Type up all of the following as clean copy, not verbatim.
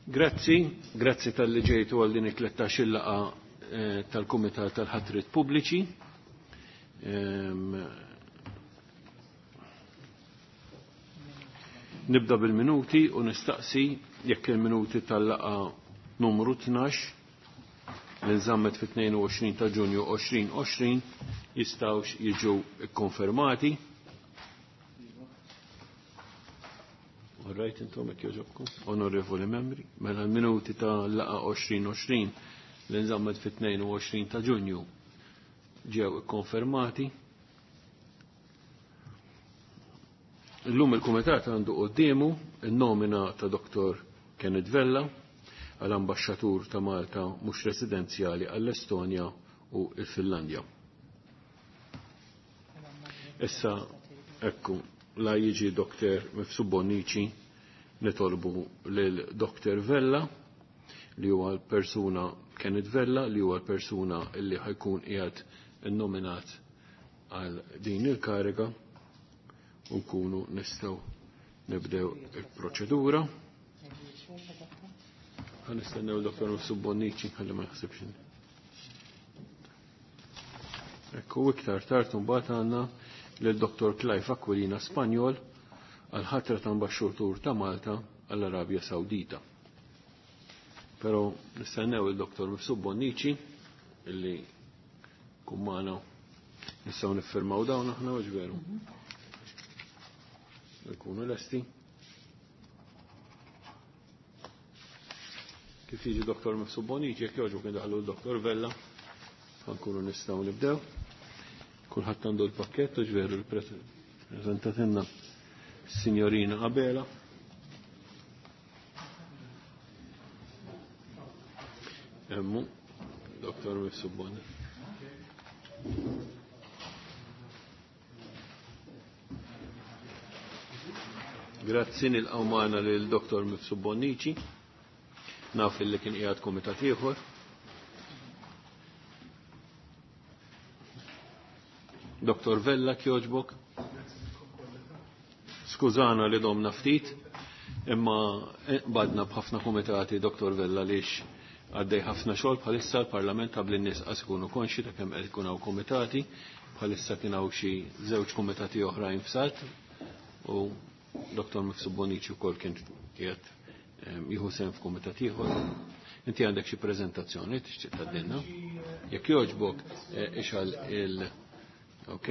Grazzi, grazzi tal-li ġejtu għal din it-13 laqgħa eh, tal-Kumitat tal-Ħatrit Pubbliċi. Nibda bil-minuti u nistaqsi jekk il-minuti tal-laqa numru 12 li nżammet fit-22 ta' Ġunju 2020 jistgħux jiġu kkonfermati. All right, intom jekk jogħġobkom, onorevoli membri, mela l-minuti ta' laqa 2020 li nżammet fit-22 ta' Ġunju ġew ikkonfermati. Illum il-Kumitat għandu qoddiemu il-nomina ta' Dr. Kenneth Vella għal ambaxxatur ta' Malta mhux residenzjali għall-Estonja u l-Finlandja. Issa, ekku, la jiġi Dr. Mifsud Bonnici nitolbu lil Dr. Vella li huwa l-persuna Kenneth Vella li huwa l-persuna li ħajkun qiegħed innominat għal din il-kariga u nkunu nistgħu nibdew il-proċedura. Ħa nistennew Dr. Mifsud Bonnici ħalli ma naħsibx. Ekku iktar tard imbagħad għandna lil Dr. Clive Aquilina Spanjol għal ħatra ta' ambaxxatur ta' Malta għall-Arabja Sawdita. Però nistennew il-Dr. Mifsud Bonnici illi kummana nistgħu niffirmaw dawn aħna u veru. Nkunu lesti. Kif jiġi Dr. Mifsud Bonnici, jekk jogħġbu kien daħlu l-Dr. Vella, ħankunu nistgħu nibdew. Kulħadd għandu l-pakkett u ġveru l-preżentatinna Signorina Abela. Emmu, Dr. Mifsud Bonnici. Grazzi nilqgħu magħna lil Dr. Mifsud Bonnici. Naf li kien qiegħed kumitat ieħor. Dr. Vella kjoġbok. Skużana li domna ftit, imma badna b'ħafna kumitati Dr. Vella lix għaddej ħafna xogħol bħalissa l-Parlament qabel in-nies qas ikunu konxi ta' kemm qed ikun hawn kumitati, bħalissa kien hawn xi żewġ kumitati oħrajn f'salt u Dr. Mifsud Bonnici wkoll kien qiegħed jieħu sehem f'kumitat ieħor. Inti għandek xi preżentazzjoni tixtieq tgħaddilna? Jekk jogħġbok ixgħal il Ok.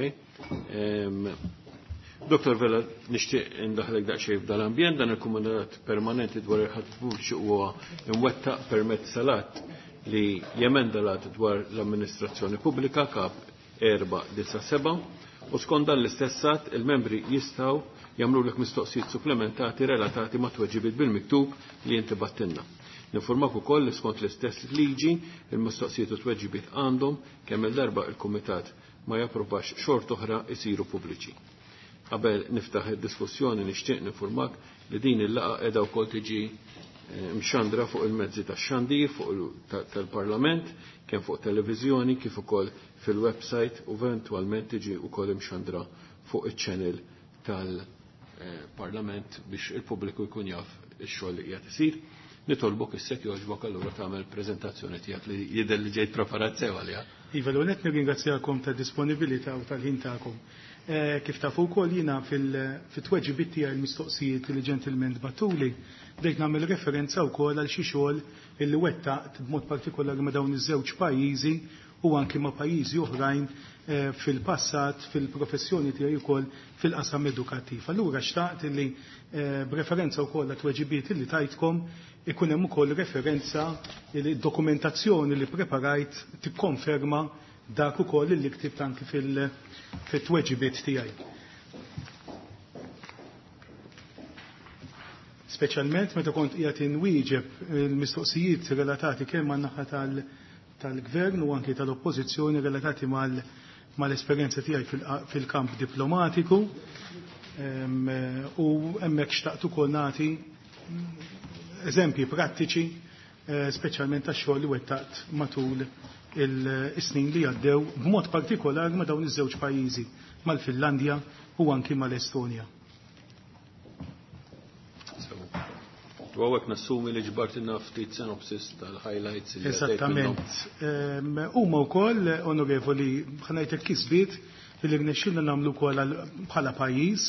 Dr. Vella, nixtieq indaħlek daqsxejn f'dal-ambjent, dan il-Kumitat Permanenti dwar il-ħatr pubbliċi huwa imwettaq permezz tal-att li jemenda l-att dwar l-amministrazzjoni pubblika kap 497 u skont dan l-istess att il-membri jistgħu jagħmlulek mistoqsijiet supplementati relatati ma' tweġibiet bil-miktub li inti battilna. Ninformak ukoll li skont l-istess liġi il-mistoqsijiet u tweġibiet għandhom kemm il-darba il-Kumitat ma japprovax xort oħra isiru pubbliċi. Qabel niftaħ id-diskussjoni nixtieq ninformak li din il-laqgħa qiegħda wkoll tiġi mxandra fuq il-mezzi tax-xandir fuq tal-Parlament, kemm fuq televiżjoni kif ukoll fil-website u eventwalment tiġi wkoll imxandra fuq iċ-channel tal-Parlament biex il-pubbliku jkun jaf ix-xogħol li qiegħed isir. Nitolbok issa jogħġbok allura tagħmel preżentazzjoni tiegħek li jidher li ġejt preparat sew għaliha. Iva, l-għonet nirringrazzjakom ta' disponibilità u tal-ħin tagħkom. Kif tafu wkoll jiena fit-tweġibiet tiegħi l-mistoqsijiet li ġentilment batuli, bdejt nagħmel referenza wkoll għal xi xogħol illi wettaqt b'mod partikolari ma' dawn iż-żewġ pajjiżi u anki ma' pajjiżi oħrajn fil-passat fil-professjoni tiegħi wkoll fil-qasam edukattiv. Allura xtaqt illi b'referenza wkoll għat-tweġibiet illi tajtkom ikun hemm ukoll referenza li dokumentazzjoni li preparajt tikkonferma dak ukoll li ktibt anki fil-tweġibiet tiegħi. Speċjalment meta kont qiegħed inwieġeb il-mistoqsijiet relatati kemm man-naħa tal-gvern u anki tal-oppożizzjoni relatati mal-esperjenza tiegħi fil-kamp diplomatiku u hemmhekk xtaqt ukoll nagħti eżempji prattiċi speċjalment tax-xogħol li wettaqt matul il-snin li għaddew b'mod partikolari ma' dawn iż-żewġ pajjiżi, mal-Finlandja u anki mal-Estonja. U hawnhekk nassumi li ġbartilna ftit synopsis tal-highlights li għaddejt minnhom. Eżattament. Huma wkoll, onorevoli, ħa ngħidlek kisbiet li rnexxielna nagħmlu wkoll bħala pajjiż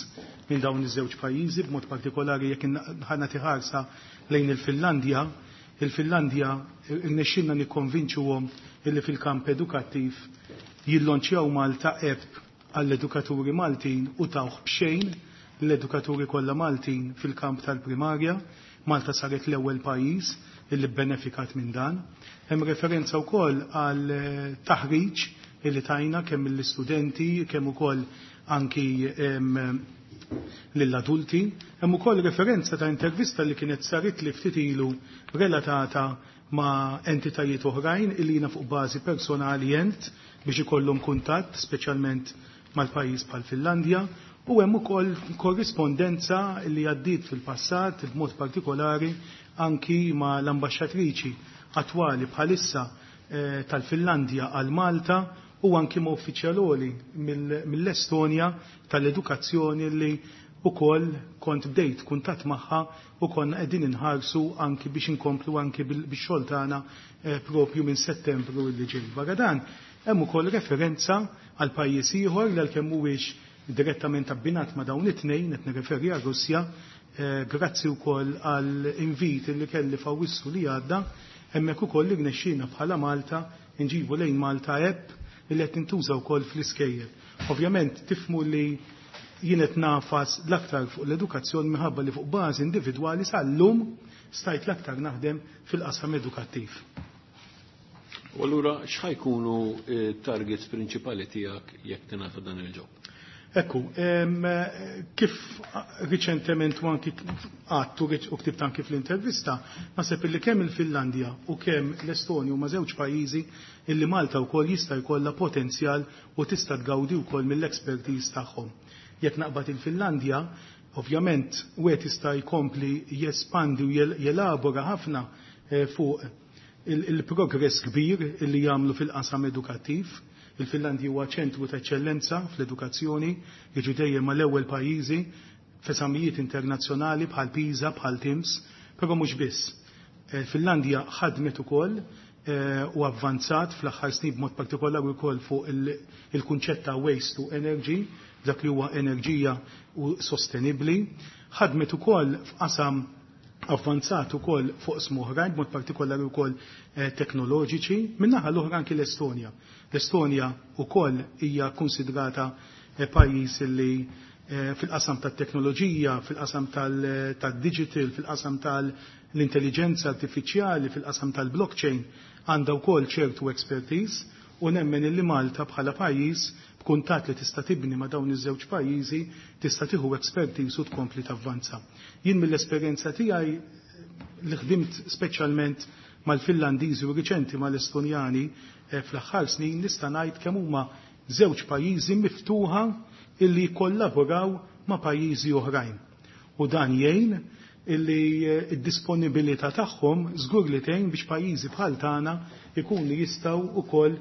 minn dawn iż-żewġ pajjiżi, b'mod partikolari jekk ħa nagħti ħarsa lejn il-Finlandja. Il-Finlandja rnexxielna nikkonvinċuhom illi fil-kamp edukattiv jillonċjaw Malta app għall-edukaturi Maltin u tawh b'xejn l-edukaturi kollha Maltin fil-kamp tal-primarja. Malta saret l-ewwel pajjiż illi benefikat minn dan. Hemm referenza wkoll għal taħriġ illi tajna kemm lill-istudenti, kemm ukoll anki lill-adulti. Hemm ukoll referenza ta' intervista li kienet saret li ftit ilu relatata ma' entitajiet oħrajn illi jiena fuq bażi personali jent biex ikollhom kuntatt speċjalment mal-pajjiż bħal Finlandja. U hemm ukoll korrispondenza li għaddiet fil-passat b'mod partikolari anki ma' l-ambaxxatriċi attwali bħalissa tal-Finlandja għal Malta u anki ma' uffiċjaloli mill-Estonja tal-edukazzjoni li ukoll kont bdejt kuntatt magħha u konna qegħdin inħarsu anki biex inkomplu anki bix-xogħol tagħna propju minn Settembru li ġej. Barra dan hemm ukoll referenza għal pajjiż ieħor li għalkemm mhuwiex direttament abbinat ma' dawn it-tnejn, qed nirreferi għal Russja, grazzi wkoll għal invit li kelli f'Awwissu li għadda, hemmhekk ukoll li rnexxielna bħala Malta nġibu lejn Malta app li qed tintuża wkoll fl-iskejjel. Ovvjament tifhmu li jien qed nafas l-aktar fuq l-edukazzjoni minħabba li fuq bażi individwali sal-lum stajt l-aktar naħdem fil-qasam edukattiv. U allura x'ħajkunu targets prinċipali tiegħek jekk tingħata dan il-ġob? Ekku, kif riċentement u anki għattu u ktibt anki fl-intervista, naħseb illi kemm il-Finlandja u kemm l-Estonja huma żewġ pajjiżi illi Malta wkoll jista' jkollha potenzjal u tista' tgawdi wkoll mill-expertise tagħhom. Jekk naqbad il-Finlandja, ovvjament wieħed jista' jkompli jespandi u jelabora ħafna fuq il-progress kbir illi jagħmlu fil-qasam edukattiv. Il-Finlandja huwa ċentru ta' eċċellenza fl-edukazzjoni, jiġu dejjem mal-ewwel pajjiżi f'eżamijiet internazzjonali bħal PISA, bħal TIMSS, però mhux biss. Finlandja ħadmet ukoll u avvanzat fl-aħħar snin b'mod partikolari wkoll fuq il-kunċett ta' waste to energy, dak li huwa enerġija u sostenibbli. Ħadmet ukoll f'qasam avvanzat ukoll fuq oqsma oħrajn, b'mod partikolari wkoll teknoloġiċi, min-naħa l-oħra anki l-Estonja. L-Estonja wkoll hija konsidrata pajjiż li fil-qasam tat-teknoloġija, fil-qasam tad-digital, fil-qasam tal-intelligenza artifiċjali, fil-qasam tal-blockchain, għandha wkoll ċertu expertise u nemmen illi Malta bħala pajjiż b'kuntatt li tista' tibni ma' dawn iż-żewġ pajjiżi tista' tieħu expertise u tkompli tavvanza. Jien mill-esperjenza tiegħi li ħdimt speċjalment mal-Finlandiżi u riċenti mal-Estonjani fl-aħħar snin nista' ngħid kemm huma żewġ pajjiżi miftuħa illi jkollaboraw ma' pajjiżi oħrajn. U dan jgħin illi d-disponibilità tagħhom żgur li tgħin biex pajjiżi bħal tagħna ikunu jistgħu wkoll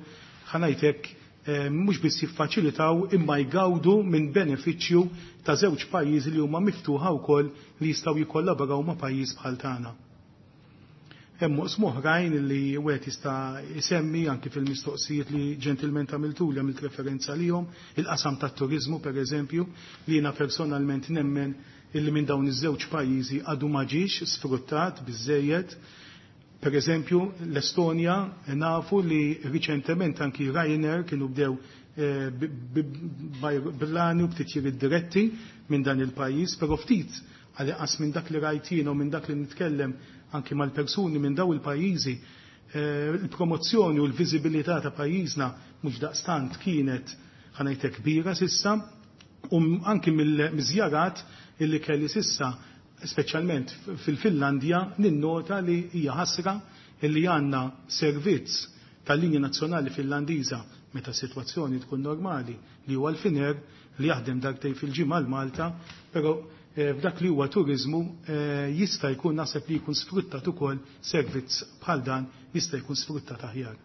ħa ngħidlek mhux biss jiffaċilitaw imma jgawdu minn benefiċċju ta' żewġ pajjiżi li huma miftuħa wkoll li jistgħu jikkollaboraw ma' pajjiż bħal tagħna. Hemm oqsma oħrajn li wieħed jista' jsemmi anki fil-mistoqsijiet li ġentilment għamiltu li għamilt referenza lihom, il-qasam tat-turiżmu pereżempju, li jiena personalment nemmen illi minn dawn iż-żewġ pajjiżi għadu ma ġiex sfruttat biżejjed. Per eżempju, l-Estonja nafu li riċentement anki Ryanair kienu bdew b'ajruplani u b'titjiriet diretti minn dan il-pajjiż, però ftit għal minn dak li rajt u minn dak li nitkellem anki mal-persuni minn daw il-pajjiżi, il-promozzjoni u l-viżibilità ta' pajjiżna mhux daqstant kienet ħa ngħidlek kbira sissa, u anki mill-żjarat illi kelli sissa, speċjalment fil-Finlandja, ninnota li hija ħasra illi għandna servizz tal-linja nazzjonali Finlandiża meta sitwazzjoni tkun normali li huwa l-Finnair li jaħdem darbtejn fil-ġimgħa l-Malta, però f'dak li huwa turizmu jista' jkun naħseb li jkun sfruttat ukoll servizz bħal dan jista' jkun sfruttat aħjar.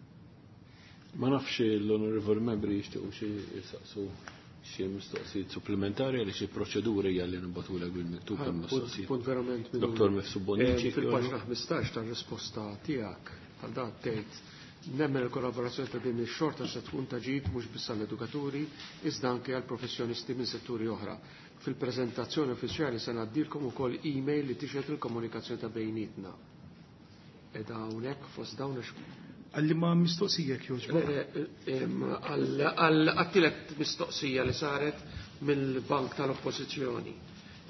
Ma nafx l-onorevoli membri jixtiequ xi jistaqsu. Xi mistoqsijiet supplementari għaliex il-proċedura hija li nibgħatulek bil-miktub il-mistoqsijiet. Punt verament minnu. Dottor Mifsud Bonnici. Fil-paġna 15 tar-risposta tiegħek għal dan tgħid nemmen il-kollaborazzjoni ta' din ix-xorta se tkun ta' ġid mhux biss għall-edukaturi iżda anke għal professjonisti minn setturi oħra. Fil-preżentazzjoni uffiċjali se ngħaddilkom ukoll email li tixhed il-komunikazzjoni ta' bejnietna. Eda hawnhekk fost dawn Għalli ma mistoqsija jogħġbok. Għal-għattilet mistoqsija li saret mill-Bank tal-Oppożizzjoni.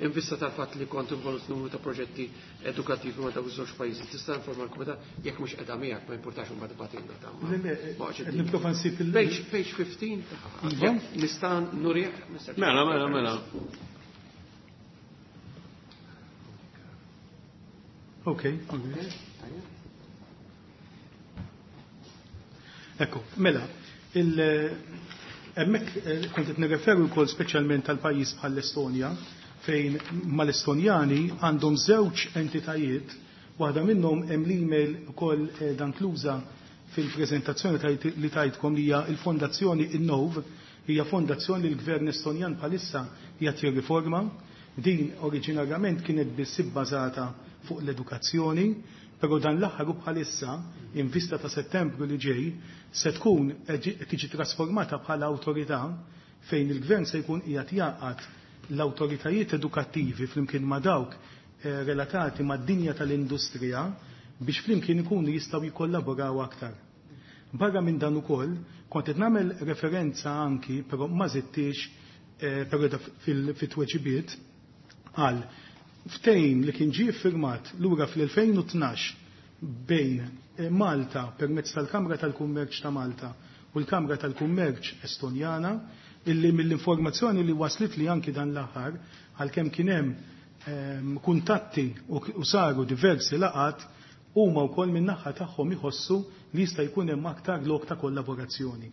In vista tal-fatt li kont involut numru ta' proġetti edukattivi ma' dawk iż-żewġ pajjiżi, tista' informa l-kumitat jekk mhux qiegħda miegħek ma jimpurtax imbagħad tibgħatilna ta' Le, le, qed nipprova nsib il- Page 15 Iva. nista' nurih? Mela, mela, mela. Ok. Ekku, mela, hemmhekk kont qed nirreferu wkoll speċjalment tal pajjiż bħall-Estonja, fejn mal-Estonjani għandhom żewġ entitajiet, waħda minnhom hemm l-email ukoll dan kluża fil-preżentazzjoni li tajtkom li hija l-Fondazzjoni Innov, hija fondazzjoni li l-Gvern Estonjan bħalissa qiegħed jirriforma. Din oriġinarjament kienet biss ibbażata fuq l-edukazzjoni, però dan l-aħħar u bħalissa in vista ta' Settembru li ġej se tkun tiġi trasformata bħala awtorità fejn il-gvern se jkun qiegħed jaqgħad l-awtoritajiet edukattivi flimkien ma' dawk relatati mad-dinja tal-industrija biex flimkien ikunu jistgħu jikkollaboraw aktar. Barra minn dan ukoll kont qed nagħmel referenza anki, però ma żidtix, però fit-tweġibiet għal ftehim li kien ġie ffirmat lura fl-2012 bejn Malta permezz tal-Kamra tal-Kummerċ ta' Malta u l-Kamra tal-Kummerċ Estonjana, illi mill-informazzjoni li waslit li anki dan l-aħħar, għalkemm kien hemm kuntatti u saru diversi laqat, huma wkoll min-naħa tagħhom iħossu li jista' jkun hemm aktar lok ta' kollaborazzjoni.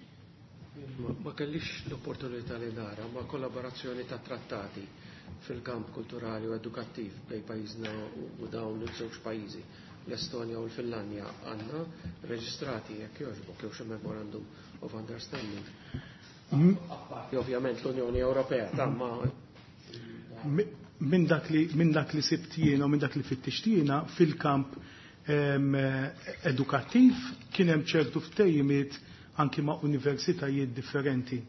Ma kellix l-opportunità li nara ma' kollaborazzjoni ta' trattati fil-kamp kulturali u edukattiv bejn pajjiżna u dawn iż-żewġ pajjiżi, l-Estonja u l-Finlandja, għandna reġistrati jekk jogħġbok jew xi memorandum of understanding. Apparti ovvjament l-Unjoni Ewropea ta' ma Minn dak li, minn dak li sibt jiena u minn dak li fittixt jiena fil-kamp edukattiv kien hemm ċertu ftehimiet anki ma' universitajiet differenti.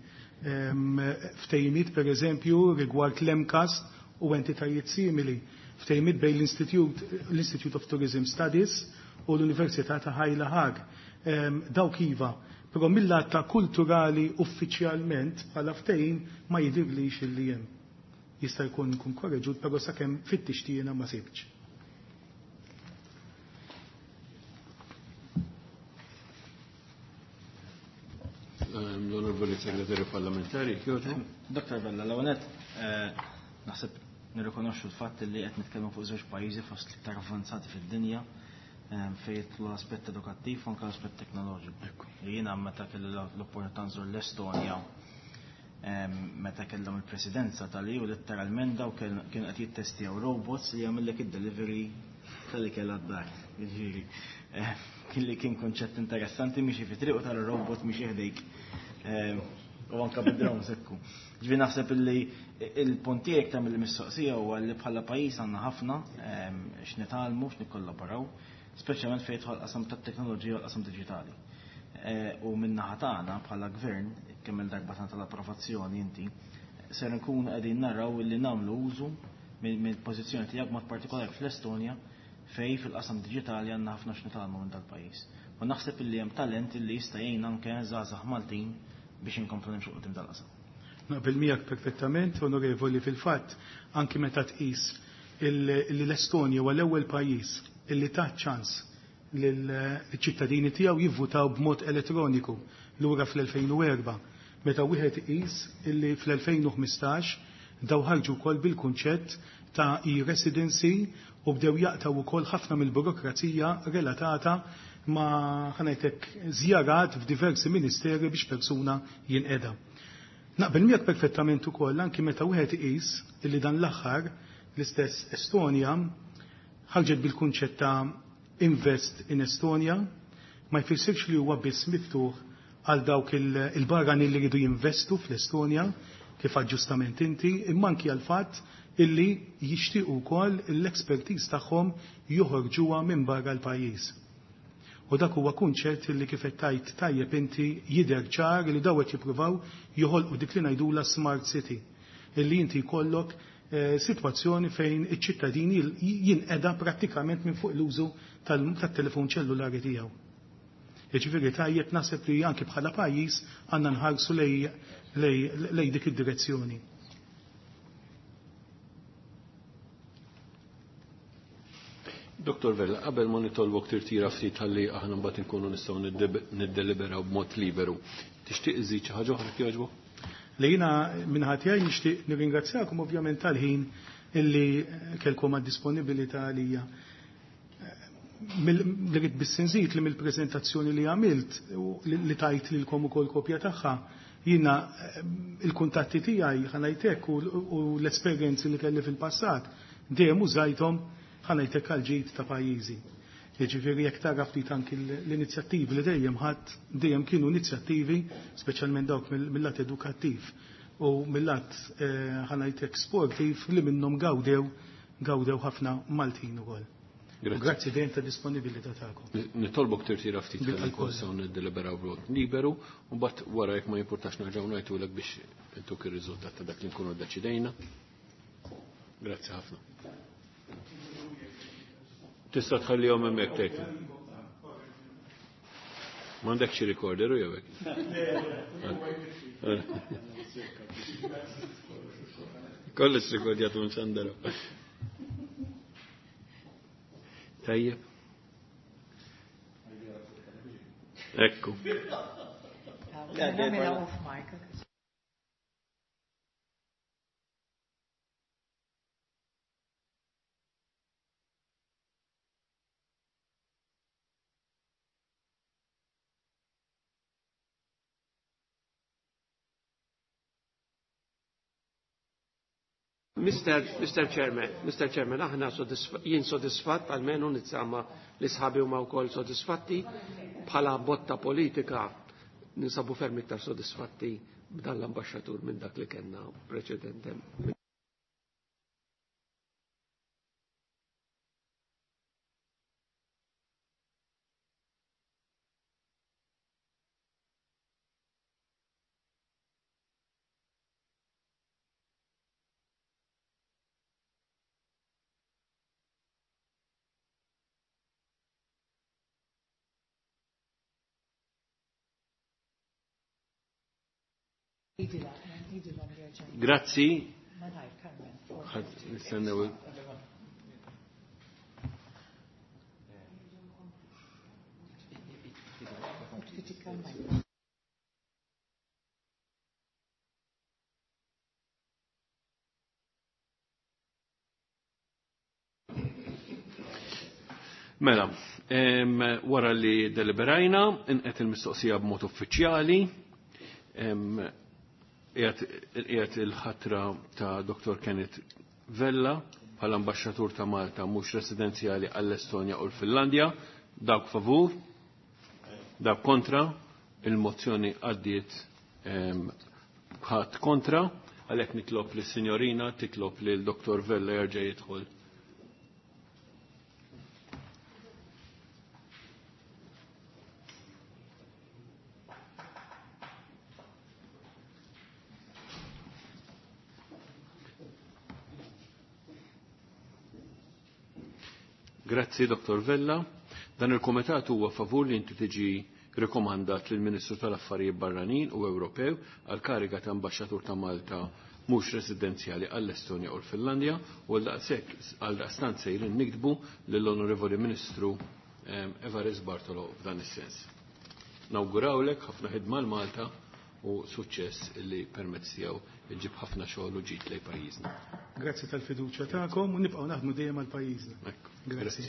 Ftehimiet per eżempju rigward l-MCAST u entitajiet simili, ftehimiet bejn l-Institute of Tourism Studies u l-Università ta' Ħajla Ħag. Dawk iva, però mill-lat ta' kulturali uffiċjalment bħala ftehim ma jidhirlix illi hemm. Jista' jkun nkun korreġut, però sakemm fittixt jiena ma sibtx. L-Onorevoli Segretarju Parlamentari, kjoġu. Dr. Vella, l-għonet, naħseb nirrikonoxxu l-fatt li qed nitkellmu fuq żewġ pajjiżi fost l-iktar avvanzati fid-dinja fejn jidħlu l-aspett edukattiv u anke l-aspett teknoloġiku. Jiena meta kelli l-opportunità nżur l-Estonja meta kellhom il-presidenza tal-EU, letteralment daw kienu qed jittestjaw robots li jagħmellek id-delivery tal-ikel għad-dar. Jiġifieri, kien li kien konċett interessanti, miexi fi triq u tal-robot miexi ħdejk. U anka bid-drone sekku. Ġifieri naħseb illi il-punt tiegħek tagħmel il-mistoqsija huwa li bħala pajjiż għandna ħafna x'nitgħallmu, x'nikkollaboraw, speċjalment fejn jidħol qasam tat-teknoloġija u l-qasam diġitali. U min-naħa tagħna bħala gvern, kemm il-darba tagħna tal-approvazzjoni inti, ser nkunu qegħdin naraw illi nagħmlu użu mill-pożizzjoni tiegħek mod partikolari fl-Estonja fej fil-qasam diġitali għandna ħafna x'nitgħallmu minn dal-pajjiż. U naħseb illi hemm talent illi jista' jgħin anke żgħażagħ Maltin biex inkomplu nimxu quddiem dal-qasam. Naqbel miegħek perfettament, onorevoli, fil-fatt anki meta tqis li l-Estonja huwa l-ewwel pajjiż illi ta ċans lill-ċittadini tiegħu jivvutaw b'mod elettroniku lura fl-2004, meta wieħed iqis illi fl-2015 daw ħarġu wkoll bil-kunċett ta' e-residency u bdew jaqtaw ukoll ħafna mill-burokrazija relatata ma' ħanajtek żjarat f'diversi ministeri biex persuna jinqeda. Naqbel miegħek perfettament ukoll anki meta wieħed iqis illi dan l-aħħar l-istess Estonja ħarġet bil-kunċett ta' Invest in Estonia, ma jfissirx li huwa biss miftuħ għal dawk il-barranin li jridu jinvestu fl-Estonja, kif aġġustament inti, imma anki għall-fatt illi jixtiequ wkoll l-expertise tagħhom joħorġuha minn barra l-pajjiż. U dak huwa kunċett li kif qed tgħid tajjeb inti jidher ċar li daw qed jippruvaw joħolqu dik li ngħidulha smart city, illi inti jkollok sitwazzjoni fejn iċ-ċittadini jinqeda prattikament minn fuq l-użu tat-telefon ċellulari tiegħu. Jiġifieri tajjeb naħseb li anki bħala pajjiż għandna nħarsu lej dik id-direzzjoni. Dr. Vella, qabel ma nitolbok tirtira ftit ħalli aħna mbagħad inkunu nistgħu niddeliberaw b'mod liberu. Tixtieq iżid xi ħaġa oħra jogħġbok? Li jiena minn tiegħi nixtieq nirringrazzjakom ovvjament tal-ħin illi kellkom għad-disponibilità għalija. Li rrid biss inżid li mill-preżentazzjoni li għamilt li tajt lilkom ukoll kopja tagħha, jiena il-kuntatti tiegħi ħa ngħidlek u l-esperjenzi li kelli fil-passat dejjem użajthom ħa ngħidlek għall-ġid ta' pajjiżi. Jiġifieri jekk tara ftit anki l-inizjattivi li dejjem ħadd dejjem kienu inizjattivi, speċjalment dawk mill-lat edukattiv u mill-lat ħa ngħidlek sportiv li minnhom gawdew ħafna Maltin ukoll. Grazzi dejjem ta' disponibilità tagħkom. Nitolbok tirtira ftit ħalli nistgħu niddeliberaw b'mod liberu u mbagħad wara jekk ma jimpurtax nerġgħu ngħidulek biex intuk ir-riżultat ta' dak li nkunu ddeċidejna. Grazzi ħafna. Tista' tħallihom hemmhekk tgħid. M'għandekx xi recorder u jew hekk? Kollox rekordjat minn xandara. Tajjeb. Ekku. Mr. Chairman, Mr. Chairman, aħna jien sodisfatt, almenu nitsama li sħabi huma wkoll sodisfatti, bħala botta politika ninsabu ferm iktar sodisfatti b'dan l-ambaxxatur minn dak li kellna preċedentem. Grazzi. Nistennew. Mela, wara li deliberajna, inqet il-mistoqsija b'mod uffiċjali, qiegħed il-ħatra ta' Dr. Kenneth Vella bħala ambaxxatur ta' Malta mhux residenzjali għall-Estonja u l-Finlandja. Dawk favur, dawk kontra, il-mozzjoni għaddiet ħadd kontra, għalhekk nitlob lis-sinjorina, titlob lil Dr. Vella jerġa' jidħol. Grazzi, Dr. Vella. Dan il-Komitat huwa favur li inti tiġi rekomandat lill Ministru tal-Affarijiet Barranin u Ewropew għal kariga ta' Ambaxxatur ta' Malta mhux residenzjali għall-Estonja u l-Finlandja u għal daqstant sejrin niktbu lill-Onorevoli Ministru Evarist Bartolo f'dan is-sens. Nawgurawlek ħafna ħidma l-Malta u suċċess li permezz tiegħu iġib ħafna xogħol u ġid lejn pajjiżna. Grazzi tal-fiduċja tagħkom u nibqgħu naħdmu dejjem għal pajjiżna. Grazzi.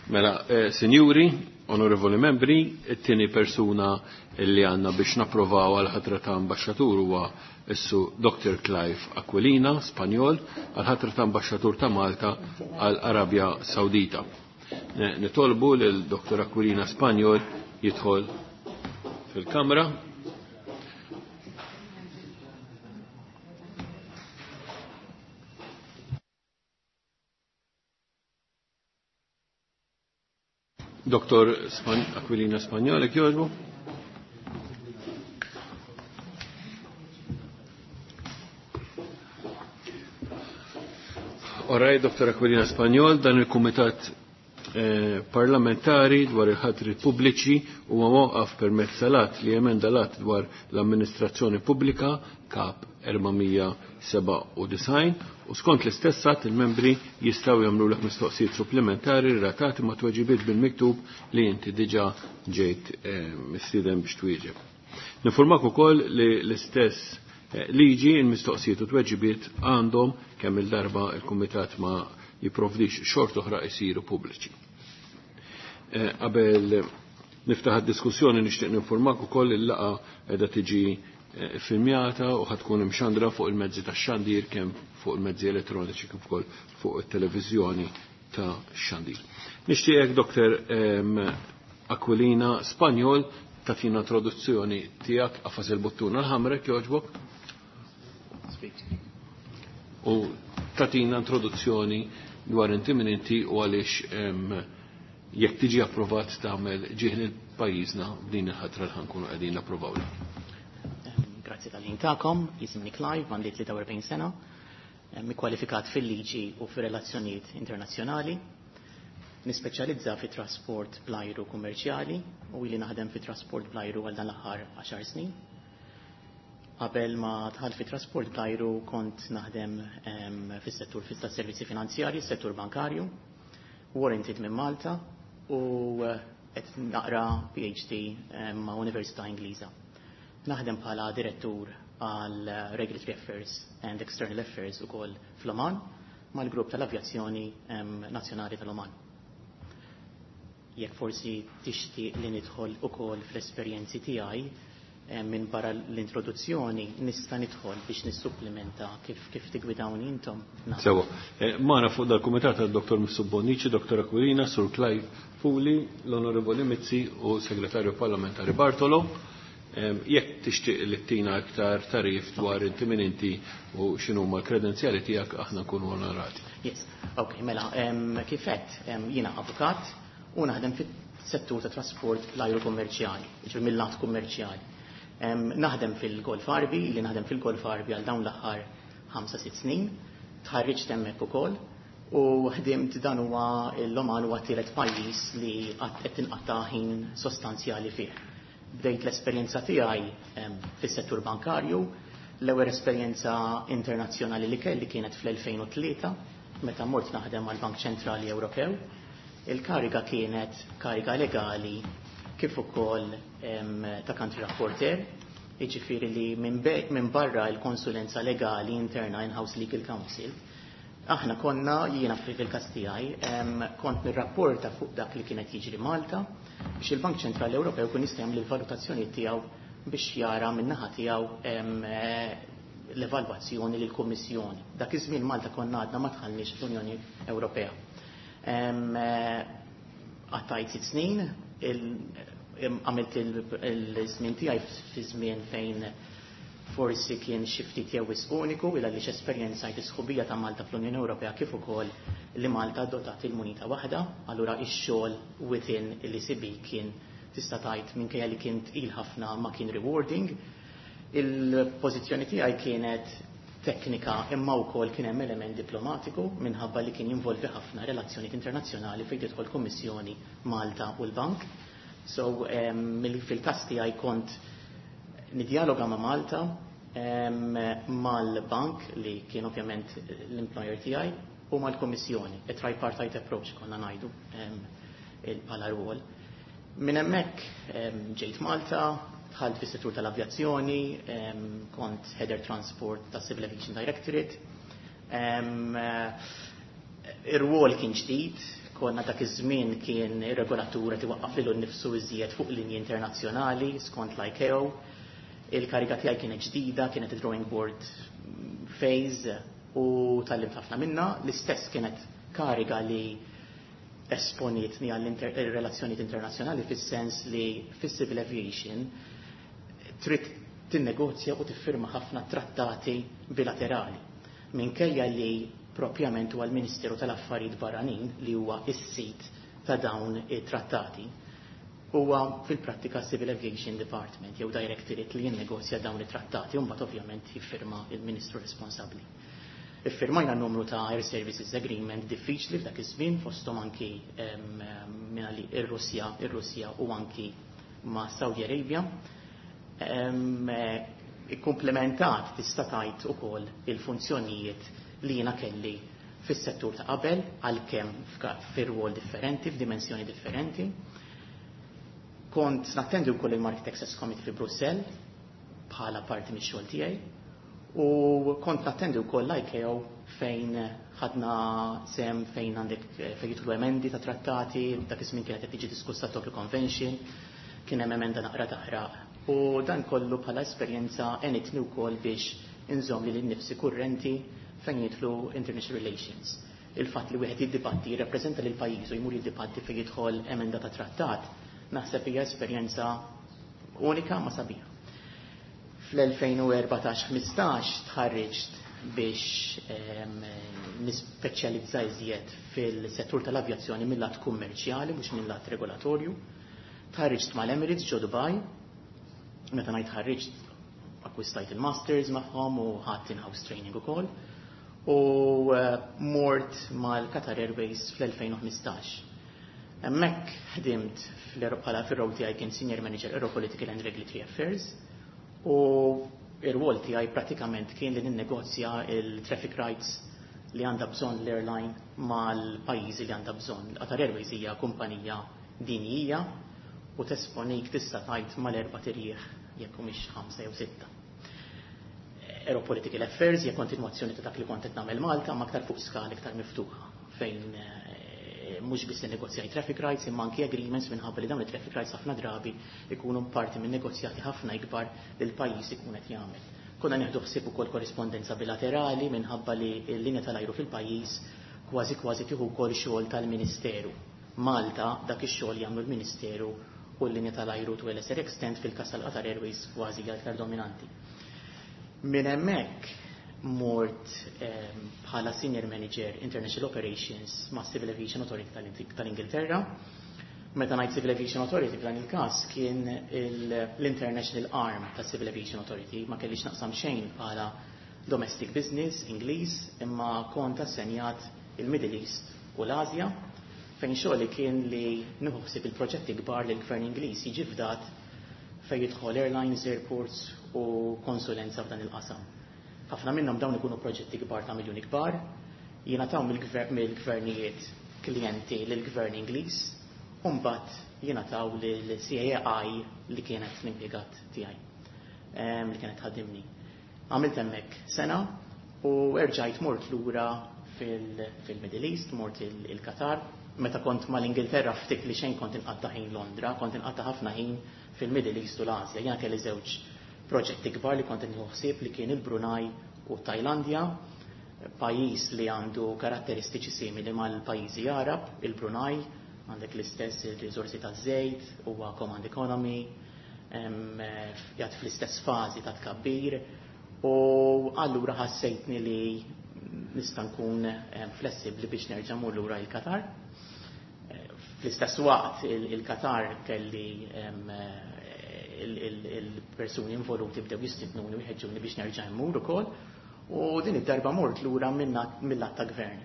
Mela, sinjuri, onorevoli membri, it-tieni persuna li għandna biex napprovaw għal ħatra ta' ambaxxatur huwa issu Dr. Clive Aquilina, Spanjol, għal ħatra ta' ambaxxatur ta' Malta għal Arabja Sawdita. Nitolbu lil Dr. Aquilina Spanjol jidħol fil-kamra. Dr. Aquilina Spagnol, jogħġbu. Oraj, Dr. Aquilina Spagnol, dan il-Kumitat parlamentari dwar il-ħatri pubbliċi huwa mwaqqaf permezz tal-att li emenda l-att dwar l-amministrazzjoni pubblika kap 497 u skont l-istess att il-membri jistgħu jagħmlulek mistoqsijiet supplementari relatati ma' tweġibiet bil-miktub li inti diġà ġejt mistieden biex twieġeb. Nifurmak ukoll li l-istess liġi il-mistoqsijiet u tweġibiet għandhom kemm il-darba il-Kumitat ma jipprovdix xort oħra jsiru pubbliċi. Qabel niftaħ id-diskussjoni nixtieq ninformak ukoll il-laqgħa qiegħda tiġi filmjata u ħatkun imxandra fuq il-mezzi tax-xandir kemm fuq il-mezzi elettroniċi kif ukoll fuq it-televiżjoni ta' xandir. Nixtieqek Dr. Aquilina Spanjol tagħtina introduzzjoni tiegħek qafas il-buttuna l-ħamrek jogħġbok. U tagħtina introduzzjoni dwar inti min inti u għaliex jekk tiġi approvat tagħmel ġieħ lil pajjiżna b'din il-ħatra li ħankunu qegħdin napprovaw. Grazzi tal-ħin tagħkom, jisimni Clive, għandi 43 sena, kwalifikat fil-liġi u fir-relazzjonijiet internazzjonali, nispeċjalizza fi trasport bl-ajru kummerċjali u ili naħdem fi trasport bl-ajru għal dan l-aħħar 10 snin. Qabel ma dħalt fi trasport bl-ajru kont naħdem fis-settur tas-servizzi finanzjarji, settur bankarju, warranted minn Malta u qed naqra PhD ma' Università Ingliża. Naħdem bħala direttur għal Regulatory Affairs and External Affairs ukoll fl-Oman mal-grupp tal-Avjazzjoni Nazzjonali tal-Oman. Jekk forsi tixtieq li nidħol ukoll fl-esperjenzi tiegħi minn barra l-introduzzjoni nista' nidħol biex nissupplementa kif tigwidawni intom. Sewa. Magħna fuq dal-kumitat għad-Dr. Mifsud Bonnici, Dr. Aquilina, Sur Clive Fuli, l-Onorevoli Mizzi u Segretarju Parlamentari Bartolo. Jekk tixtieq li tina aktar tarif dwar inti min inti u x'inhuma l-kredenzjali tiegħek aħna nkunu onorati. Yes, ok, mela, kif għedt, jiena avukat u naħdem fis-settur ta' trasport l-ajru kummerċjali, jiġifieri mill-lat kummerċjali. Naħdem fil-Golf Għarbi, li naħdem fil-Golf Għarbi għal dawn l-aħħar 5-6 snin, tħarriġt hemmhekk ukoll u ħdimt dan huwa l-Oman huwa tielet pajjiż li qed tinqatta' ħin sostanzjali fih. Bdejt l-esperjenza tiegħi fis-settur bankarju, l-ewwel esperjenza internazzjonali li kelli kienet fl-2003 meta mort naħdem mal-Bank Ċentrali Ewropew. Il-kariga kienet kariga legali kif ukoll ta' country rapporteur, jiġifieri li minn barra l-konsulenza legali interna in-house legal counsel, aħna konna, jiena fil-każ tiegħi, kont nirrapporta fuq dak li kienet jiġri Malta biex il-Bank Ċentrali Ewropew kun jista' jagħmel il-valutazzjoni tiegħu biex jara min-naħa tiegħu l-evalwazzjoni lill-Kummissjoni. Dak iż-żmien Malta konna għadna ma dħalniex fl-Unjoni Ewropea. Qattajt 6 snin, għamilt il-żmien tiegħi fi żmien fejn forsi kien xi ftit jew wisq uniku illa għaliex esperjenzajt is-sħubija ta' Malta fl-Unjoni Ewropea kif ukoll li Malta adottat il-munita waħda, allura ix-xogħol within l-ECB kien tista' tgħid minkejja li kien tqil ħafna ma kien rewarding. Il-pożizzjoni tiegħi kienet teknika imma wkoll kien hemm element diplomatiku minħabba li kien jinvolvi ħafna relazzjonijiet internazzjonali fejn tidħol Kummissjoni Malta u l-Bank. So fil-każ tiegħi kont nidjaloga ma' Malta, mal-bank li kien ovvjament l-employer tiegħi u mal-Kummissjoni, a tripartite approach konna ngħidu bħala rwol. Minn hemmhekk ġejt Malta, dħalt fis-settur tal-avjazzjoni, kont Head Air Transport ta' Civil Aviation Directorate. Ir-rwol kien ġdid, Konna dak iż-żmien kien ir-regolatur qed iwaqqaf lilu nnifsu iżjed fuq linji internazzjonali skont l-ICAO. Il-kariga tiegħi kienet ġdida, kienet drawing board phase u tgħallimt ħafna minna. L-istess kienet kariga li esponietni għall-relazzjonijiet internazzjonali, fis-sens li fis-civil aviation trid tinnegozja u tiffirma ħafna trattati bilaterali. Minkejja li propjament huwa l-Ministeru tal-Affarijiet Barranin li huwa is-sit ta' dawn it-trattati, huwa fil-prattika Civil Aviation Department jew Directorate li jinnegozja dawn it-trattati u mbagħad ovvjament jiffirma il-Ministru responsabbli. Iffirmajna numru ta' Air Services Agreement diffiċli f'dak iż-żmien, fosthom anki ir-Russja u anki ma' Saudi Arabia. Ikkumplementat tista' tgħid ukoll il-funzjonijiet li jiena kelli fis-settur ta' qabel, għalkemm fir-rwol differenti, f'dimensjoni differenti. Kont nattendi wkoll il-Market Access Committee fi Brussell bħala parti mix-xogħol tiegħi u kont nattendi wkoll l-ICAO fejn ħadna sem fejn għandek fejn jidħlu emendi ta' trattati. Dak iż-żmien kienet qed tiġi diskussa Tokyo Convention, kien hemm emenda naqra taħraq. U dan kollu bħala esperjenza għenitni wkoll biex inżomm lili nnifsi kurrenti fejn jidħlu international relations. Il-fatt li wieħed jiddibatti, jirrappreżenta lil pajjiż u jmur jiddibatti fejn jidħol emenda ta' trattat, naħseb hija esperjenza unika ma sabiħa. Fl-2014-15 tħarriġt biex nispeċjalizza iżjed fil-settur tal-avjazzjoni mill-lat kummerċjali, mhux mill-lat regolatorju. Tħarriġt mal-Emirates ġo Dubai. Meta ngħid ħarriġt, akkwistajt il-masters magħhom u ħadt in-house training ukoll. U mort mal-Qatar Airways fl-2015. Hemmhekk ħdimt bħala fir-role tiegħi kien Senior Manager Aeropolitical and Regulatory Affairs u ir-rwol tiegħi pratikament kien li ninnegozja il-traffic rights li għandha bżonn l-airline mal-pajjiżi li għandha bżonn. Qatar Airways hija kumpanija dinjija u tesponik tista' tgħid mal-erba' tirjieħ, jekk mhix ħamsa jew sitta. Aeropolitical Affairs hija kontinwazzjoni ta' dak li kont qed nagħmel Malta, ma aktar fuq skala iktar miftuħa, fejn mhux biss negozjaj traffic rights imma anki agreements, minħabba li dawn it-traffic rights ħafna drabi ikunu parti minn negozjati ħafna ikbar li l-pajjiż ikun qed jagħmel. Konna nieħdu ħsieb ukoll korrispondenza bilaterali, minħabba li l-linja tal-ajru fil-pajjiż kważi kważi tieħu wkoll xogħol tal-Ministeru. Malta dak ix-xogħol jagħmlu l-Ministeru u l-linja tal-ajru to a lesser extent, fil-każ tal-Qatar Airways kważi aktar dominanti. Minn hemmhekk mort bħala Senior Manager International Operations ma' Civil Aviation Authority tal-Ingilterra. Meta ngħid Civil Aviation Authority, f'dan il-każ kien l-International Arm ta' Civil Aviation Authority, ma kellix naqsam xejn bħala domestic business Ingliż, imma kont assenjat il-Middle East u l-Asja, fejn xogħli kien li nieħu ħsieb il-proġetti kbar li l-Gvern Ingliż jiġi fdat fejn jidħol airlines, airports u konsulenza f'dan il-qasam. Ħafna minnhom dawn ikunu proġetti kbar ta' miljuni kbar, jingħataw mill-gvernijiet klijenti lill-Gvern Ingliż, u mbagħad jingħataw lill-CAI li kienet l-impjegat tiegħi, li kienet ħaddimni. Għamilt hemmhekk sena u erġajt mort lura fil-Middle East, mort il-Qatar. Meta kont mal-Ingilterra ftit li xejn kont inqatta' ħin Londra, kont inqatta' ħafna ħin fil-Middle East u l-Asja. Jiena kelli żewġ proġetti kbar li kont nieħu ħsieb, li kien il-Brunei u Tajlandja, pajjiż li għandu karatteristiċi simili mal-pajjiżi Arab, il-Brunei, għandek l-istess il-riżorsi ta' żejt, huwa command economy, jgħat fl-istess fażi ta' tkabbir, u allura ħassejtni li nista' nkun flessibbli biex nerġa' mur lura il-Qatar. Fl-istess waqt il-Qatar kelli il-persuni involuti bdew jistidnuni u jħeġġuni biex nerġa' mmur ukoll. U din id-darba mort lura mill-lat ta' gvern.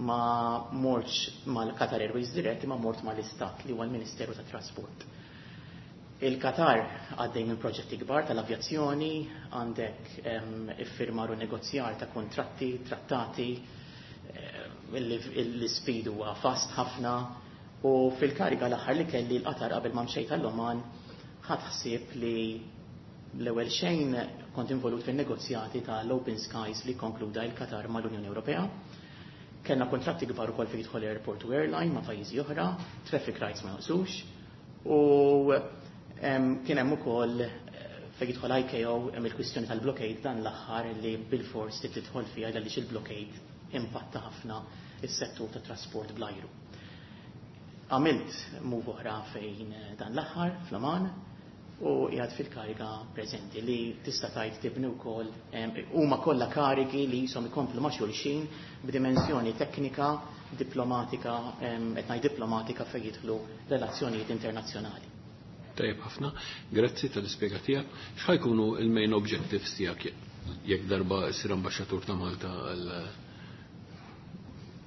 Ma mortx mal-Qatar Airways dirett, ma mort mal-Istat li huwa l-Ministeru tat Trasport. Il-Qatar għaddej minn proġetti kbar tal-avjazzjoni, għandek iffirmar u negozjar ta' kontratti, trattati, l-speed huwa fast ħafna, u fil-kariga l-aħħar li kelli l-Qatar qabel ma mxejt għall-Oman, ħadt ħsieb li l-ewwel xejn kont involut fin-negozjati tal-Open Skies li konkluda il-Qatar mal-Unjoni Ewropea. Kellna kontratti kbar ukoll fejn jidħol airport u airline ma' pajjiżi oħra, traffic rights ma jonqsux, u kien hemm ukoll fejn jidħol ICAO hemm il-kwistjoni tal-blockade dan l-aħħar li bilfors trid tidħol fiha għaliex il-blockade impatta ħafna is-settur tat-trasport bl-ajru. Għamilt move oħra fejn dan l-aħħar fl-Oman u qiegħed fil-kariga preżenti li tista' tgħid tibni wkoll huma kollha karigi li jisom ikomplu ma' xulxin b'dimensjoni teknika, diplomatika, qed ngħid diplomatika fejn jidħlu relazzjonijiet internazzjonali. Tajjeb ħafna, grazzi tal-ispjega tiegħek. X'ħa jkunu il-main objectives tiegħek jekk darba ssir ambaxxatur ta' Malta għal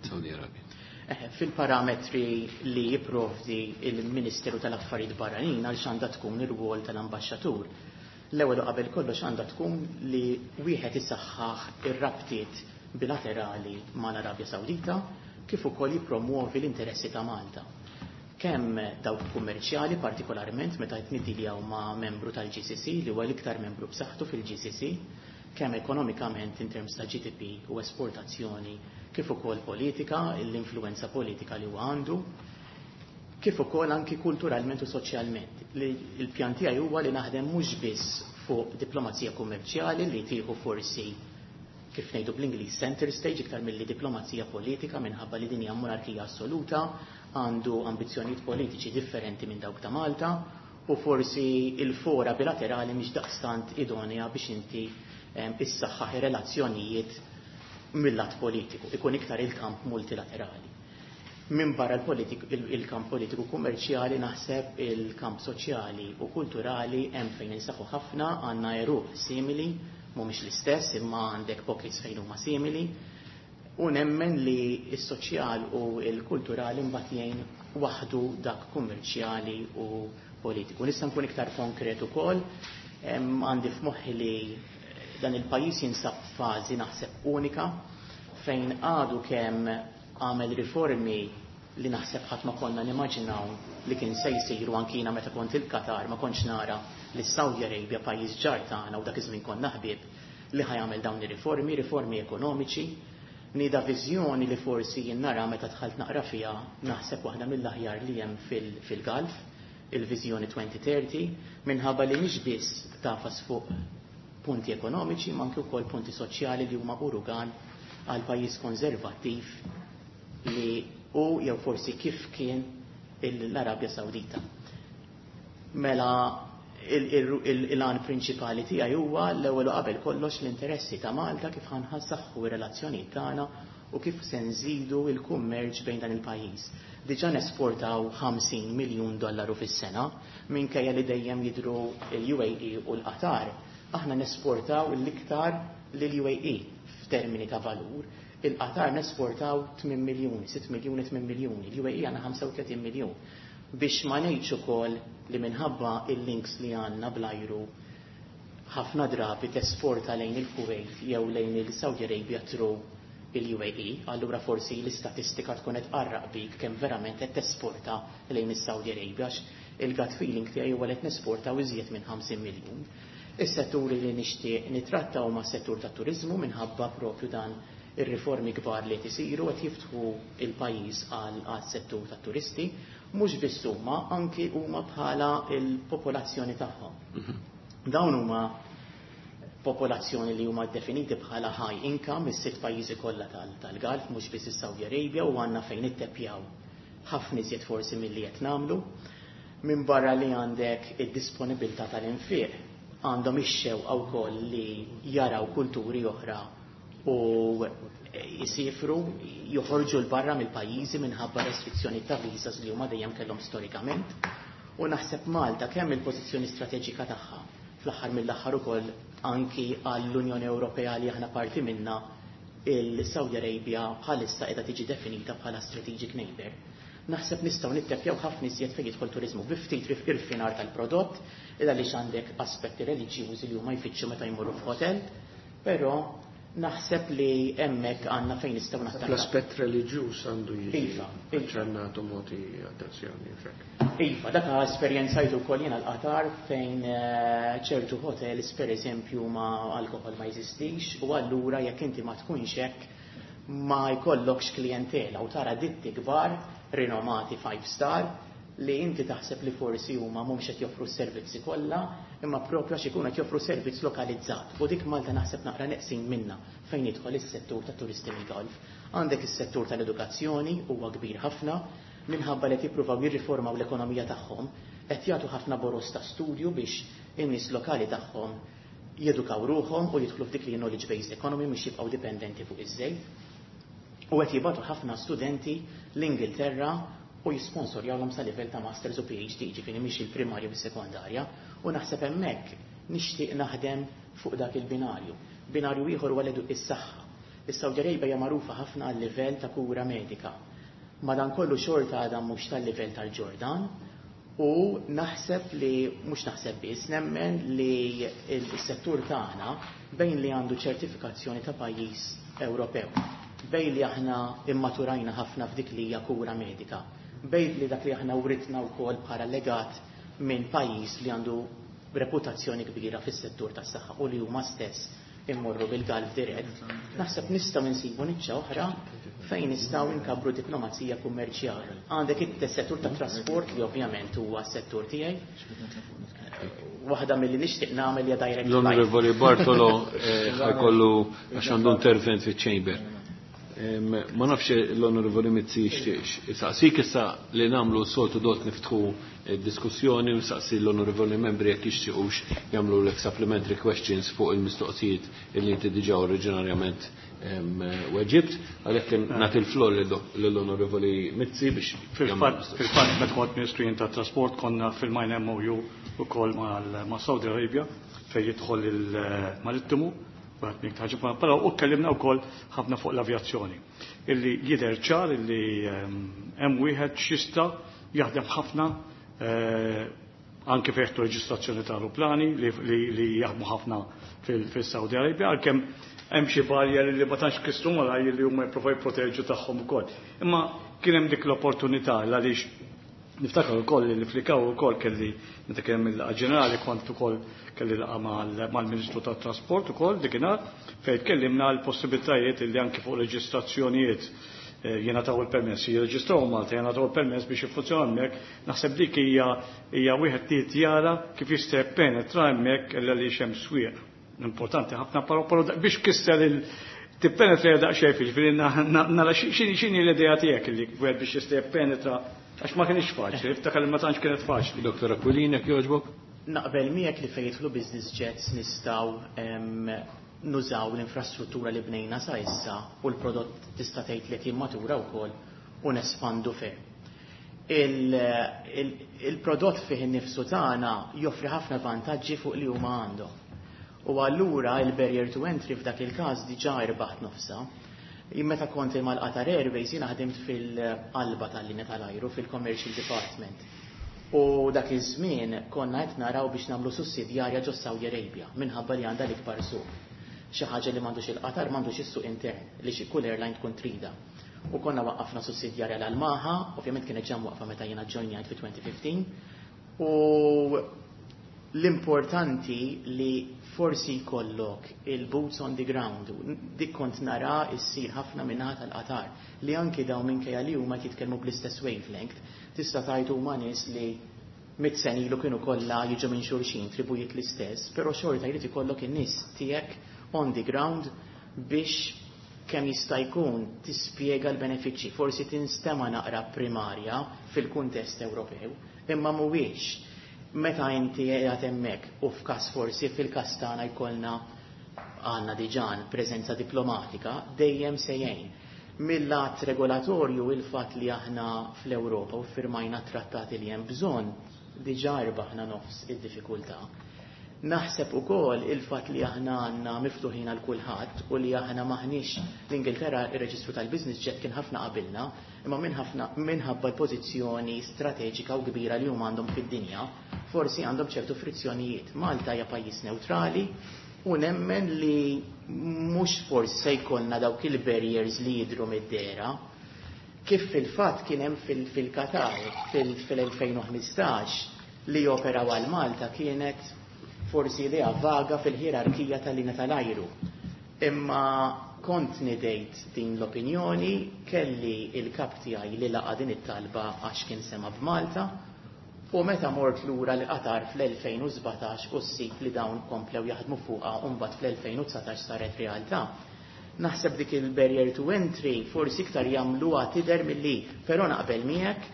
Saudi Arabia? Fil-parametri li jipprovdi il-Ministeru tal-Affarijiet Barranin għal x'għandha tkun ir-rwol tal-ambaxxatur. L-ewwel u qabel kollox għandha tkun li wieħed isaħħaħ ir-rabtiet bilaterali mal-Arabja Sawdita kif ukoll jippromuovi l-interessi ta' Malta. Kemm dawk kummerċjali, partikolarment meta qed niddiljaw ma' membru tal-GCC li huwa l-iktar membru b'saħħtu fil-GCC, kemm ekonomikament in terms ta' GDP u esportazzjoni, kif ukoll politika, l-influenza politika li huwa għandu, kif ukoll anki kulturalment u soċjalment. Il-pjan tiegħi huwa li naħdem mhux biss fuq diplomazija kummerċjali li tieħu forsi kif ngħidu bl-Ingliż center stage iktar milli diplomazija politika minħabba li din hija monarkija assoluta, għandu ambizzjonijiet politiċi differenti minn dawk ta' Malta u forsi il-fora bilaterali mhix daqstant idonea biex inti issaħħaħ ir-relazzjonijiet mill-lat politiku, ikun iktar il-kamp multilaterali. Min barra il-kamp politiku kummerċjali naħseb il-kamp soċjali u kulturali hemm fejn insaħħu ħafna, għandna għeruq simili, mhumiex l-istess imma għandek pockets fejn huma simili, u nemmen li s-soċjal u l-kulturali mbagħad jgħin waħdu dak kummerċjali u politiku. Nista' nkun iktar konkret ukoll, għandi f'moħħi li dan il-pajjiż jinsab f'fażi naħseb unika fejn għadu kemm għamel riformi li naħseb ħadd ma konna nimmaġinaw li kien se jsiru anki jiena meta kont il-Qatar ma kontx nara li Saudi Arabia pajjiż ġar tagħna u dak iż-żmien konna ħbieb li ħa jagħmel dawn ir-riformi, riformi ekonomiċi, nida viżjoni li forsi jien nara meta dħalt naqra fiha naħseb waħda mill-aħjar li hemm fil-Gulf, il-viżjoni 2030, minħabba li mhix biss tafas fuq punti ekonomiċi ma anke wkoll punti soċjali li huma urugan għal pajjiż konservattiv li u jew forsi kif kien l-Arabja Sawdita. Mela il-għan prinċipali tiegħi huwa l-ewwel u qabel kollox l-interessi ta' Malta kif ħa nsaħħu r-relazzjonijiet tagħna u kif se nżidu l-kummerċ bejn dan il-pajjiż. Diġà nesportaw 50 miljun dollaru fis-sena minkejja li dejjem jidhru l-UAE u l-Qatar. Aħna nesportaw l-iktar lill-UAE f'termini ta' valur. Il-Qatar nesportaw 8 miljuni, 6 miljuni, 8 miljuni, l-UAE għandna 35 miljun. Biex ma ngħidx ukoll li minħabba il-links li għandna bl-ajru ħafna drabi tesporta lejn il-Kuwait jew lejn il-Saudi Arabia through il-UAE, allura forsi l-istatistika tkun qed tqarraq bik kemm verament qed tesporta lejn is-Saudi Arabia għax il-gut feeling tiegħi huwa li qed nesportaw iżjed minn 50 miljun. Is-setturi li nixtieq nitratta huma s-settur tat-turiżmu minħabba propju dan ir-riformi kbar li qed isiru qed jiftħu il-pajjiż għal settur tat-turisti, mhux biss huma, anki huma bħala il-popolazzjoni tagħhom. Dawn huma popolazzjoni li huma definiti bħala high income is-sitt pajjiżi kollha tal-Gulf, mhux biss is-Saudi Arabia, u għandna fejn ittepjaw ħafna iżjed forsi milli qed nagħmlu. Min barra li għandek id-disponibilità tal-infiq, għandhom ix-xewqa wkoll li jaraw kulturi oħra u jisifru, joħorġu l-barra mill-pajjiżi minħabba restrizzjoni ta' visas li huma dejjem kellhom storikament. U naħseb Malta kemm il-pożizzjoni strateġika tagħha fl-aħħar mill-aħħar ukoll anki għall-Unjoni Ewropea li aħna parti minna, il-Saudi Arabia bħalissa qiegħda tiġi definita bħala strategic neighbor. Naħseb nistgħu nittepjaw ħafna iżjed fejn jidħol turiżmu bi ftit irfinar tal-prodott, illa għaliex għandek aspetti reliġjużi li huma jfittxu meta jmorru f'hotel, però naħseb li hemmhekk għandna fejn nistgħu nattakkaw. L-aspett reliġjuż għandu jiġi Iva. ċannatu moti attenzjoni fek. Iva, dak esperjenzajtu wkoll jiena l-Qatar fejn ċertu hotels pereżempju ma alkohol ma jeżistix u allura jekk inti ma tkunx hekk Ma jkollokx klijentela u tara ditti kbar rinomati five star li inti taħseb li forsi huma mhumiex qed joffru s-servizzi kollha, imma propju għax ikunu qed joffru servizz lokalizzat. U dik Malta naħseb naqra neqsin minna fejn jidħol is-settur ta' turisti mill-Golf. Għandek is-settur tal-edukazzjoni, huwa kbir ħafna, minħabba li qed jippruvaw jirriformaw l-ekonomija tagħhom, qed jagħtu ħafna boros ta' studju biex in-nies lokali tagħhom jedukaw ruħhom u jidħlu f'dik li knowledge based economy, mhux jibqgħu dipendenti fuq iż-żejt. U qed jibgħatu ħafna studenti l-Ingilterra u jisponsorjawhom sa livell ta' masters u PhD, ġifieri mhix il-primarja u s-sekondarja, u naħseb hemmhekk nixtieq naħdem fuq dak il-binarju. Binarju ieħor huwa is-saħħa. Is-Saudi Arabia hija magħrufa ħafna għal livell ta' kura medika. Madankollu xorta għadha mhux tal-livell tal-Ġordan u naħseb li, mhux naħseb biss, nemmen li s-settur tagħna, bejn li għandu ċertifikazzjoni ta' pajjiż Ewropew, bejn li aħna immaturajna ħafna f'dik li hija kura medika, bejn li dak li aħna writna wkoll bħala legat minn pajjiż li għandu reputazzjoni kbira fis-settur tas-saħħa u li huma stess immorru bil-Gulf dirett, naħseb nistgħu nsibu niċċa oħra fejn nistgħu nkabbru diplomazija kummerċjali. Għandek is-settur ta' trasport li ovvjament huwa s-settur tiegħi. Waħda milli nixtieq nagħmel hija direct flight. L-Onorevoli Bartolo ħa jkollu, għax għandu intervent fiċ-chamber. Ma nafx l-Onorevoli Mizzi jixtieqx isaqsik. Issa li nagħmlu soltu dot niftħu diskussjoni u saqsi l-onorevoli membri jekk jixtiequx jagħmlu l supplementary questions fuq il-mistoqsijiet li inti diġà oriġinarjament weġibt, għalhekk nagħti l-flor lill-Onorevoli Mizzi biex Fil-fatt, meta kont Ministru jien tat-Trasport, konna ffirmajna MOU ukoll ma' Saudi Arabia fejn jidħol il-marittimu, però u tkellimna wkoll ħafna fuq l-avjazzjoni. Illi jidher ċar illi hemm wieħed xista jaħdem ħafna anke fejn reġistrazzjoni ta' aeroplani li jaħdmu ħafna fil-Saudi Arabia, għalkemm hemm xi barrier li ma tantx kissru malaj li huma jippruvaw jipproteġu tagħhom ukoll. Imma kien hemm dik l-opportunità, għaliex niftakar ukoll li fl-ICAO ukoll kelli, meta kien hemm il-laqgħa ġenerali, kont ukoll kelli laqgħa mal-Ministru tat-Trasport ukoll dikinhar, fejn tkellimna l-possibilitajiet li anke fuq reġistrazzjonijiet jingħataw il-permess, jirreġistraw Malta, jingħataw il-permess biex jiffunzjonaw hemmhekk. Naħseb dik hija wieħed li jara kif jista' jippenetra hemmhekk, għaliex hemm swieq importanti ħafna, però biex kisser il tippenetra daqsxejn, ġifieri nara x'inhi l-idea tiegħek li wieħed biex jista' jippenetra, għax ma kienx faċli, iftakar li ma tantx kienet faċli. Dr. Aquilina, jogħġbok? Naqbel miegħek li fejn jidħlu business jets nistgħu nużaw l-infrastruttura li bnejna sa issa u l-prodott tista' tgħid li qed jimmatura wkoll u nespandu ferm. Il-prodott fih innifsu tagħna joffri ħafna vantaġġi fuq li huma għandhom. U allura il-barrier to entry f'dak il-każ diġà irbaħt nofsa. Meta kont mal-Qatar Airways, jiena ħdimt fil-qalba tal-linja tal-ajru, fil-commercial department. U dak iż-żmien konna qed naraw biex nagħmlu sussidjarja ġo Saudi Arabia minħabba li għandha l-ikbar suq. Xi ħaġa li m'għandux il-Qatar, m'għandux is-suq intern li xi kull airline tkun trida. U konna waqqafna sussidjarja l-Almaha, ovvjament kienet ġam waqfa meta jiena ġojnjajt fi 2015. U l-importanti li forsi jkollok il-boots on the ground, dik kont nara issir ħafna minnaħa tal-Qatar, li anki daw minkejja li huma jitkellmu bl-istess wavelength, tista' tgħid huma nies li 100 sena ilu kienu kollha jiġu minn xulxin, tribujiet l-istess, però xorta jrid ikollok in-nies tiegħek on the ground biex kemm jista' jkun tispjega l-benefiċċji. Forsi tinstema naqra primarja fil-kuntest Ewropew, imma mhuwiex. Meta inti qiegħed hemmhekk u f'każ forsi fil-każ tagħna jkollna, għandna diġà preżenza diplomatika, dejjem se jgħin. Mill-lat regolatorju, il-fatt li aħna fl-Ewropa u firmajna trattati li hemm bżonn, diġà rbaħna nofs id-diffikultà. Naħseb ukoll il-fatt li aħna għandna miftuħin għal kulħadd u li aħna maħniex l-Ingilterra, ir-reġistru tal-business jet kien ħafna qabilna, imma minn ħafna minħabba l-pożizzjoni strateġika u kbira li huma għandhom fid-dinja, forsi għandhom ċertu frizzjonijiet. Malta hija pajjiż neutrali u nemmen li mhux forsi se jkollna dawk il-barriers li jidhru mid-dehra, kif fil-fatt kien hemm fil-Qatar fil-2015, li operaw għal Malta kienet forsi idea vaga fil-ħierarkija tal-linja tal-ajru. Imma Kont nidejt din l-opinjoni, kelli il-kap tiegħi li laqa din it-talba għax kien sema b'Malta, u meta mort lura li Qatar fl-2017 u ssib li dawn komplew jaħdmu fuqha u mbagħad fl-2019 saret realtà. Naħseb dik il-barrier to entry forsi iktar jagħmluha tidher milli, però naqbel miegħek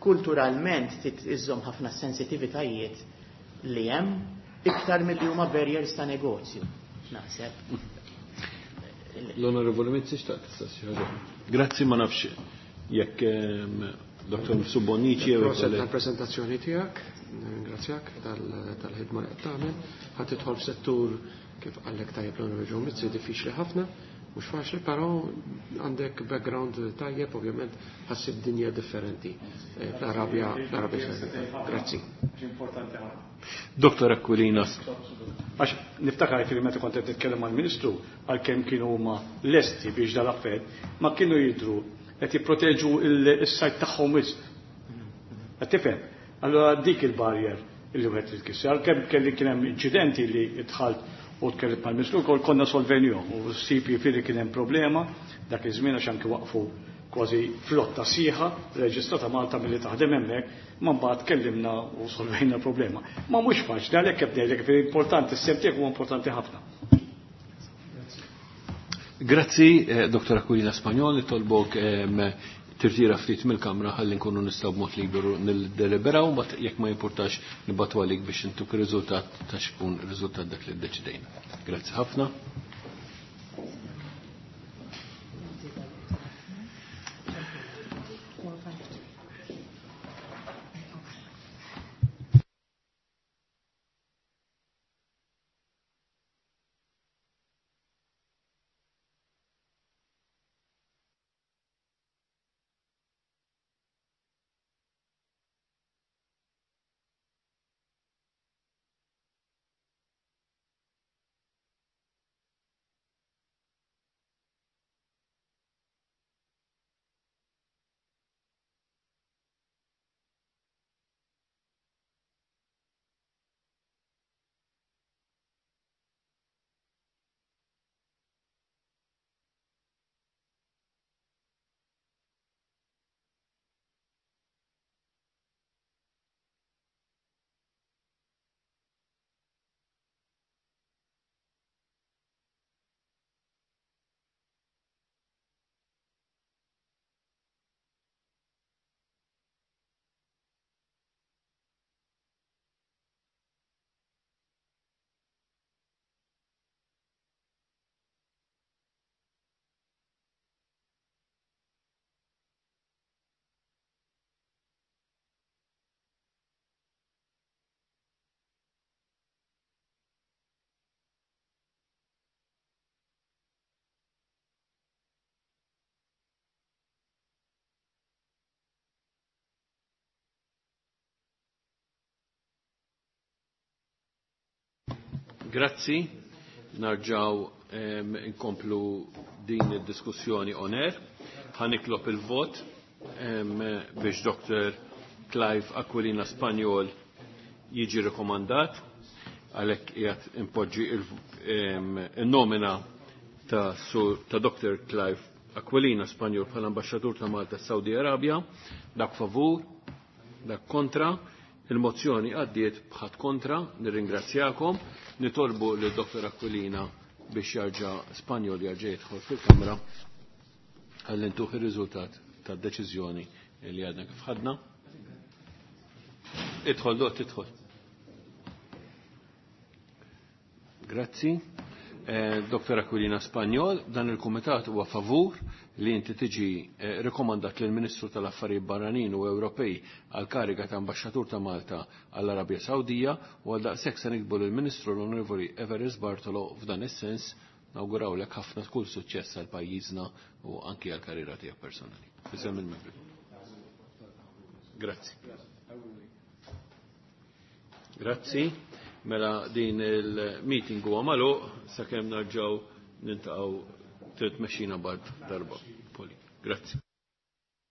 kulturalment iżżomm ħafna sensitivitajiet li hemm iktar milli huma barriers ta' negozju. Naħseb. L-Onorevoli Mizzi xtaqt tistaqsi ħaġa. Grazzi, ma nafx jekk Dr. Subonici jew Proset tal-prezentazzjoni tiegħek, ringrazzjak tal-ħidma li qed tagħmel. Ħadd tidħol f'settur kif qallek tajjeb l-Onorevoli Mizzi diffiċli ħafna, mhux faċli, però għandek background tajjeb, ovvjament ħassib dinja differenti fl-Arabja, fl-Arabja Sawdita. Grazzi. Importanti ħafna. Dr. Aquilina. Għax niftakar li meta kont qed nitkellem mal-Ministru għalkemm kienu huma lesti biex dal-affett, ma kienu jidhru qed jipproteġu is-sajt tagħhom wisq. Qed tifhem? Allura dik il-barrier illi wieħed trid tkisser. Għalkemm kelli kien hemm inċidenti li dħalt u tkellimt mal-Ministru wkoll konna solvenjhom u ssib jiġifieri kien hemm problema dak iż-żmien għax anke waqfu kważi flotta sieħa reġistrata Malta milli taħdem hemmhekk, ma mbagħad tkellimna u solvejna l-problema. Ma mhux faċli għalhekk qed ngħidlek li importanti s-sem tiegħek huwa importanti ħafna. Grazzi, Dr. Aquilina Spagnol, nitolbok tirtira ftit mill-kamra ħalli nkunu nistgħu b'mod liberu niddeliberaw, mbagħad jekk ma jimpurtax nibgħatu għalik biex intuk ir-riżultat ta' x'ikun ir-riżultat dak li ddeċidejna. Grazzi ħafna. Grazzi, narġaw inkomplu din id-diskussjoni on air. Ħa nitlob il-vot biex Dr. Clive Aquilina Spagnol jiġi rekomandat, għalhekk qiegħed impoġġi il-nomina ta' Dr. Clive Aquilina Spagnol bħala ambaxxatur ta' Malta Saudi Arabia. Dak favur, dak kontra. Il-mozzjoni għaddiet bħat kontra, nirringrazzjakom, nitolbu lil Dr. Aquilina biex jarġa' Spanjol jarġa' jidħol fil-Kamra ħalli ntuh ir-riżultat tad-deċiżjoni li għadna kif ħadna. Idħol, dot, idħol. Grazzi. Dr. Aquilina Spagnol, dan il-Kumitat huwa favur li inti tiġi rekomandat lill Ministru tal-Affarijiet Barranin u Ewropej għal kariga ta' Ambaxxatur ta' Malta għall-Arabja Sawdija u għal daqshekk se nikbu lill-Ministru l-Onorevoli Everest Bartolo f'dan is-sens nawgurawlek ħafna kull suċċess għal pajjiżna u anki għal karriera tiegħek personali. Fisem il-membri. Grazzi. Grazzi. Mela din il-meeting huwa magħluq sakemm narġgħu nintaqgħu trid tmexxina bad darba. Poli. Grazzi.